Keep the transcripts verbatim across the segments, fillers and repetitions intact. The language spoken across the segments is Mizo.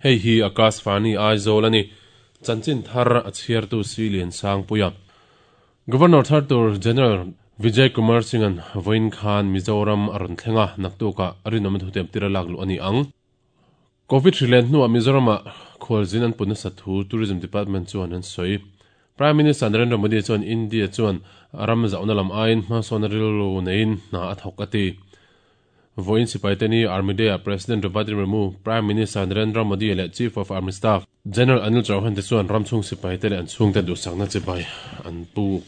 Hei hi Akashvani Aizawl ani. Chanchin thar a chhiartu Silian Sangpuia. Governor thar tur General Vijay Kumar Singh-an vawiin khan Mizoram a rawn thleng a, naktukah rinawm thutem tira lak luh a ni ang. Covid hrilen hnuah Mizoramah khualzin an put nasa thu Tourism Department chuan an sawi. Prime Minister Narendra Modi chuan India chuan ram zauhna lam aiin hmasawn rilru neiin hna a thawk a ti. Vawiin sipaite ni Army Day-ah President Draupadi Murmu, Prime Minister Narendra Modi leh Chief of Army Staff General Anil Chauhan te chuan ram chhung sipaite leh an chhungte duhsakna chibai an puk.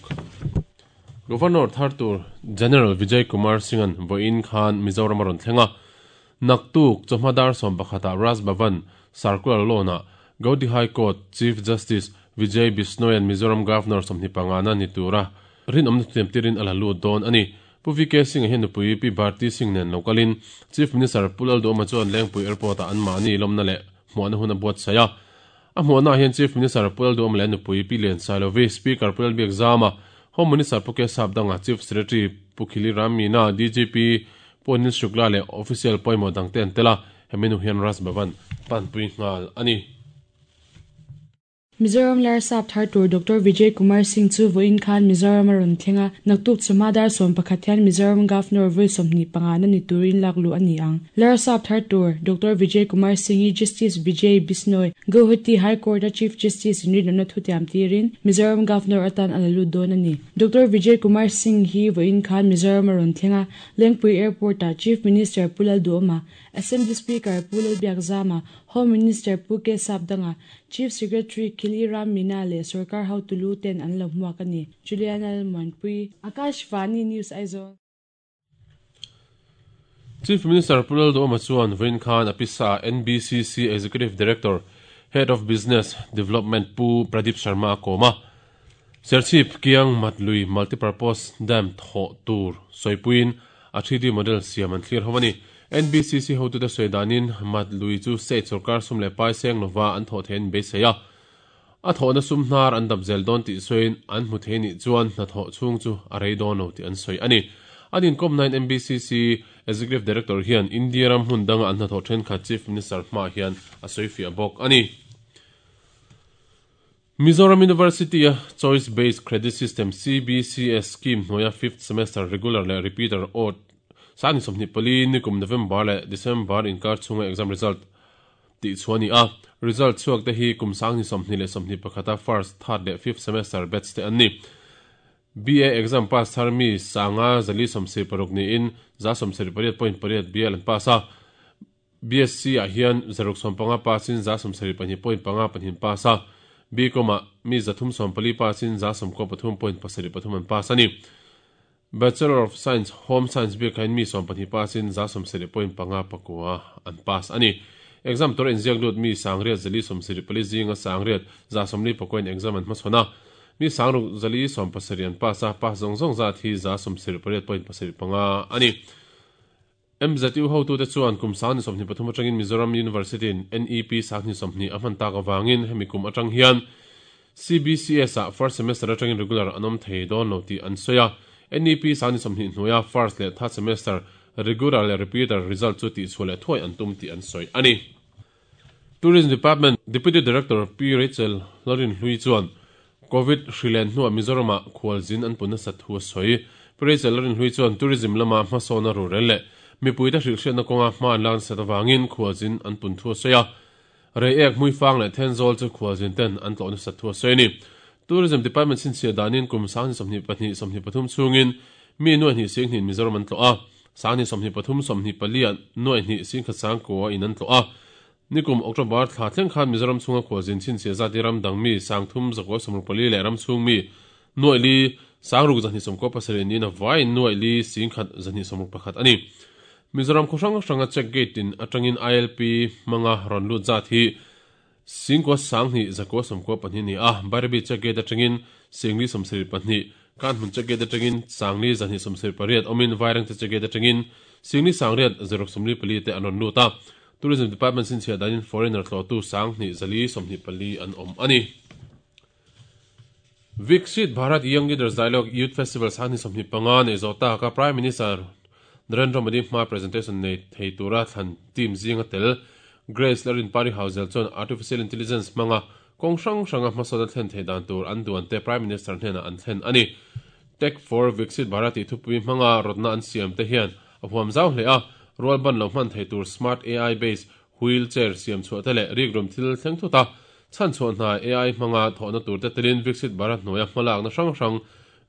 Governor thar tur General Vijay Kumar Singh-an vawiin khan Mizoram a rawn thleng a. Naktuk chawhma dar sawm pakhatah Raj Bhavan Circular Lawn-ah Gauhati High Court Chief Justice Vijay Bishnoi-an Mizoram Governor sawmhnih pangana ni tura rinawmna thutiam tirin a la lut dawn a ni. Pu V K Singh-a hian nupui Pi Bharti Singh nen lo kalin Chief Minister Pu Lalduhoma chuan Lengpui Airport-ah anmahni lawmna leh hmuahna hun a buatsaih a. A hmuahnaah hian Chief Minister Pu Lalduhoma leh nupui Pi Lian Sailovi, Speaker Pu Lalbiakzama, Home Minister Pu K Sapdanga, Chief Secretary Pu Khili Ram Meena, D G P Pu Anil Shukla leh Official pawimawh dangte an tel a, hemi nu hian Raj Bhavan panpui nghal a ni. Mizoram Larsap thar tur Doctor Vijay Kumar Singh chu vawiin khan Mizoram a rawn thleng a, naktuk chawhma dar sawm pakhat hian Mizoram Governor vawi sawmhnih pangana ni turin lak luh a ni ang. Larsap thar tur Doctor Vijay Kumar Singh hi Justice Vijay Bishnoi, Guwahati High Court-a Chief Justice in rinawmna thutiam tirin Mizoram Governor atan a la lut dawn a ni. Doctor Vijay Kumar Singh hi vawiin khan Mizoram a rawn thleng a, Lengpui Airport-ah Chief Minister Pu Lalduhoma, Assembly Speaker Pu Lalbiakzama, Home Minister Pu K Sapdanga, Chief Secretary Khili Ram Meena leh Sarkar Hotulu ten an lo hmuak a ni. Juliana Lalmuanpui, Akashvani News Aizawl. Chief Minister Pu Lalduhoma chuan vawiin khan a pisa N B C C Executive Director, Head of Business Development Pu Pradeep Sharma a kawm a. Serchhip Kiang Matlui Multipurpose Dam thawh tur sawipuiin a three D model siam an thlir ho a ni. N B C C hotu te sawi danin Matlui chu state sarkar sum leh pai seng lova an thawh theiin beisei a. A thawhna sum hnar an dap zel dawn tih sawiin an hmu thei nih chuan hna thawh chhung chu a rei dawn lo tih an sawi a ni. An inkom nine N B C C Executive Director hian India ram hmun danga an hna thawh thenkhat Chief Minister hma hian a sawi fiah bawk a ni. Mizoram University a Choice Based Credit System C B C S scheme hnuaia fifth semester regular leh repeater odd sangni sawmhnih pali nikum November leh December inkar chhunga exam result tih chu a ni a. Result chhuak te hi kum sangni sawmhnih leh sawmhnih pakhata first, third leh fifth semester batch te an ni. B A exam pass thar mi sanga zali sawmsei paruk niin za sawmsei pariat point pariat B L an pass a. B S C ah hian zaruk sawm panga passin za sawmsei pahnih point panga pahnih pass a. B koma mi zathum sawm pali passin za sawmkaw pathum point pasarih pathum an pass a ni. Bachelor of Science Home Science bik hain mi sawm pahnih passin za sawmsei point panga pakua an pass a ni. Exam tur inziak lut mi sangriat zali sawmsei pali zinga sangriat za sawmli pakoin exam an hmachhawn a. Mi sangruk zali sawm pasarih an pass a, pass zawng zawng zat hi za sawmsei pariat point pasarih panga a ni. M Z U hotu te chuan kum sangni sawmhnih pathum atangin Mizoram University in N E P sangni sawmhnih a hman tak awangin hemi kum atang hian C B C S ah first semester atangin regular an awm thei dawn lo tih an sawi a. N E P sangni sawmhnih hnuaia first leh third semester regular leh repeater result chu tih chhuah leh thuai an tum tih an sawi a ni. Tourism Department Deputy Director P Rachel Lorin Hlui chuan Covid hrilen hnuah Mizoramah khualzin an pun nasa thu a sawi. P Rachel Lorin Hlui chuan tourism lama hmasawn a rurel leh mipuite hrilhhriatna kawnga hma an lan sat awangin khualzin an pun thu a sawi a. Rei ek hmui fang leh thenzawl chu khualzin ten an tlawh nasa thu a sawi a ni. Tourism Department chhinchhiah danin kum sangni sawmhnih pahnih sawmhnih pathum chhungin mi nuai hnih sing hnih Mizoram an tlawh a. Sangni sawmhnih pathum sawmhnih pali ah nuai hnih sing khat sang kua in an tlawh a. Nikum October thla thleng khan Mizoram chhunga khualzin chhinchhiah zati ram dang mi sangthum zakua sawmruk pali leh ram chhung mi nuai li sangruk zahnih sawmkaw pasarih niin a vai nuai li sing khat zahnih sawmruk pakhat a ni. Mizoram khaw hrang hranga check gate in atangin I L P hmanga rawn lut zat hi singkua sanghnih zakua sawmkaw pahnih ni a. Bairabi check gate atangin singli sawmsarih pahnih, Kanhmun check gate atangin sangli zahnih sawmsarih pariat awmin Vairengte check gate atangin singli sangriat zaruk sawmli pali te an rawn lut a. Tourism Department chhinchhiah danin foreigner tlawhtu sanghnih zali sawmhnih pali an awm a ni. Viksit Bharat Young Leaders Dialogue Youth Festival sangni sawmhnih panga nei zawh ta ka Prime Minister Narendra Modi hma presentation nei thei tura thlan team zinga tel Grace Larin Pari Hauzel chuan Artificial Intelligence hmanga kawng hrang hranga hmasawnna thlen theih dan tur an duan te Prime Minister hnenah an thlen a ni. Tech for Viksit Bharat tih thupui hmanga rawtna an siam te hian a huam zau hle a, rual ban lo hman thei tur smart A I based wheelchair siam chhuah te leh rikrum thil thleng thut a, chhan chhuah hna A I hmanga thawhna tur te telin Viksit Bharat hnuaia hmalakna hrang hrang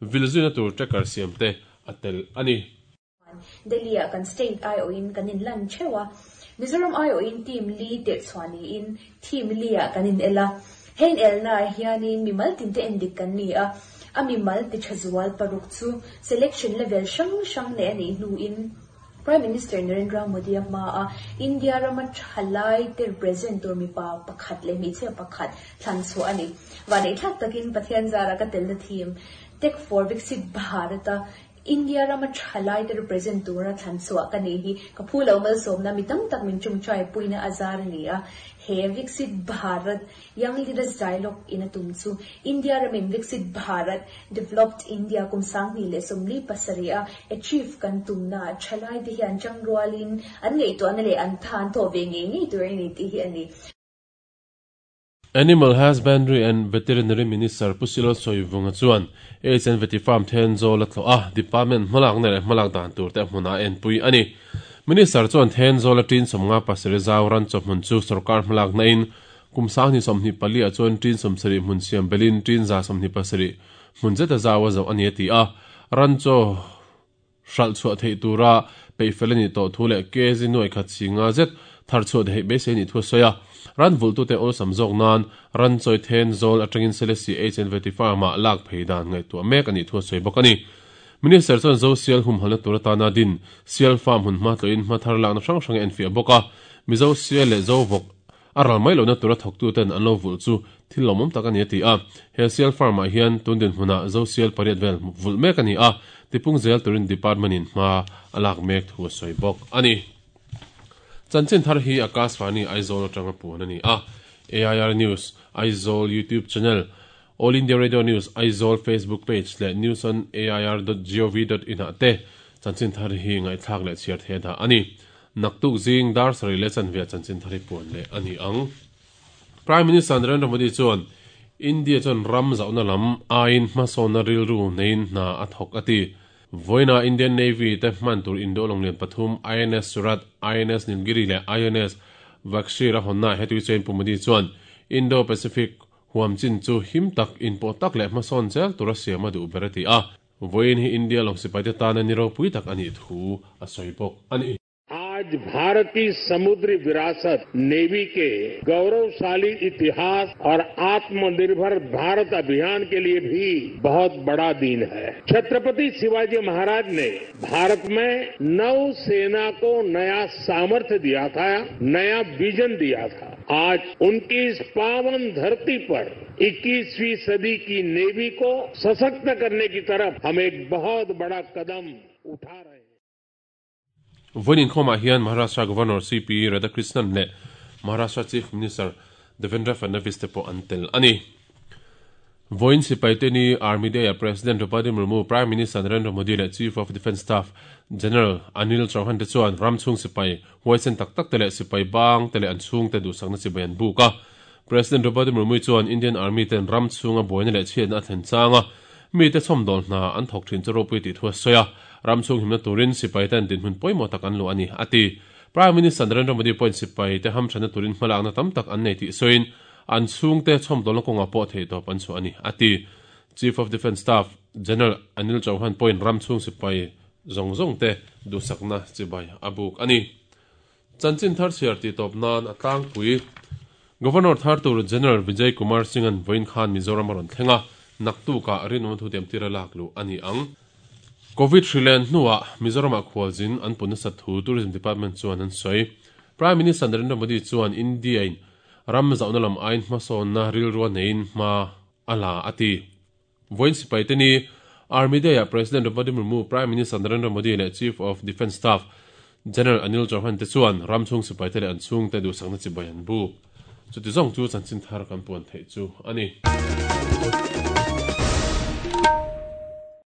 vilzuina tur tracker siam te a tel a ni. Delhi ah kan state ai awhin kan in lan theuh a, Mizoram ai awhin team li tirh chhuah niin team li ah kan in el a, heng elna ah hianin mimal tin te endik kan ni a, a mimal ti tha zual paruk chu selection level hrang hrang nei a nih hnuin Prime Minister Narendra Modi a hma a India rama thalai te represent tur mipa pakhat leh hmeichhia pakhat thlan chhuah a ni. Vanei thlak takin Pathian zara ka telna team Tech for Viksit Bharat a India rama thalai te represent tura thlan chhuah ka nei hi ka phu lo malsawmna mi tam tak min tumchai puina azar a ni a. He Viksit Bharat Young Leaders Dialogue in a tum chu India ramin Viksit Bharat Developed India kum sanghnih leh sawmli pasarih a achieve kan tumna thalai te hian changrualin an ngaihtuahna leh an than thaw ve ngei ngei tur a ni tih hi a ni. Animal Husbandry and Veterinary Minister Pusilo Soivunga chuan H and Veti Farm Thenzawl a thlawh a, department hmalak na leh hmalak dan tur te hmunah a enpui a ni. Minister chuan Thenzawl a tin sawmnga pasarih zau ran chawhmun chu sarkar hmalak na in kum sanghnih sawmhnih pali ah chuan tin sawmsarih hmun siam belin tin za sawmhnih pasarih hmun zeta zau a zo a ni a ti a, ran chaw hral chhuah theih tura peihfel a ni tawh thu leh kg nuai khat singa zet thar chhuah theih beisei ni thu a sawi a. Ran vultu te awlsam zawk nan ran chawi Thenzawl atangin Selesih H and Veti Farm ah lak phei dan ngaihtuah mek a nih thu a sawi bawk a ni. Minister chuan zo sial humhalna tur atana din sial farm hun hma tlawhin hma thar lakna hrang hrang a enfiah bawk a, Mizo sial leh zo vawk a ral mai lohna tura thawktu ten an lo vulh chu thil lawmawm tak a ni a ti a. He sial farm ah hian tun dinhmunah zo sial pariat vel vulh mek a ni a, tipung zel turin department in hma a lak mek thu a sawi bawk a ni. Chanchin thar hi Akashvani Aizawl atanga puan a ni a. A I R News Aizawl YouTube channel, All India Radio News Aizawl Facebook page leh news on A I R dot gov dot in ah te chanchin thar hi ngaihthlak leh chhiar the dah a ni. Naktuk zing dar sarih leh chanve chanchin thar hi puan leh a ni ang. Prime Minister Narendra Modi chuan India chuan ram zauhna lam aiin hmasawnna rilru neiin hna a thawk a ti. Voina Indian Navy te hman tur Indo longlian pathum I N S Surat, I N S Nilgiri leh I N S Vagsheer a hawnna hetui chuan Pu Modi chuan Indo-Pacific huam chin chu him tak in pawh tak leh hmasawn zel tura siam a duh ber a ti a. Voin hi India lawng sipai te tana ni ropui tak a nih thu a sawi bawk a ni. आज भारत की समुद्री विरासत navy के गौरवशाली इतिहास और आत्मनिर्भर भारत अभियान के लिए भी बहुत बड़ा दिन है। छत्रपति शिवाजी महाराज ने भारत में नौसेना को नया सामर्थ्य दिया था, नया विजन दिया था। आज उनकी इस पावन धरती पर इक्कीसवीं सदी की नेवी को सशक्त करने की तरफ हम एक बहुत बड़ा कदम उठा रहे हैं। Voinin khawmah hian Maharashtra Governor C P Radhakrishnan leh Maharashtra Chief Minister Devendra Fadnavis te pawh an tel a ni. Voin sipai te ni Army Day a President Draupadi Murmu, Prime Minister Narendra Modi leh Chief of Defence Staff General Anil Chauhan te chuan ram chhung sipai huaisen tak tak te leh sipai bang te leh an chhung te duhsakna chibai an buk a. President Draupadi Murmu chuan Indian Army ten ram chhunga buaina leh chhiatna a thlen changa mi te chhawmdawl hna an thawk thin chu ropui tih thu a sawi a. Ram chhung himna turin sipai ten dinhmun pawimawh tak an luh a ni a ti. Prime Minister Narendra Modi pawhin sipai te hamthana turin hmalakna tam tak an nei tih sawiin an chhung te chhawmdawlna kawngah pawh thei tawp an chhuah a ni a ti. Chief of Defence Staff General Anil Chauhan pawhin ram chhung sipai zawng zawng te duhsakna chibai a buk a ni. Chanchin thar chhiar tih tawp nan a tlangpui Governor thar tur General Vijay Kumar Singh an vawiin khan Mizoram a rawn thleng a, naktukah rinawm thu tiam tira lak luh a ni ang. Covid hrilen hnuah Mizoram ah khualzin an punna sat thu Tourism Department chuan an sawi. Prime Minister Narendra Modi chuan India in ram zauhna lam aiin hmasawnna rilru neiin hma a la a ti. Voin sipai te ni Army Day ah President Draupadi Murmu, Prime Minister Narendra Modi leh Chief of Defence Staff General Anil Chauhan te chuan ram chhung sipai te leh an chhung te duhsakna chibai an buk. Chuti zawng chu chanchin thar kan puan theih chu a ni.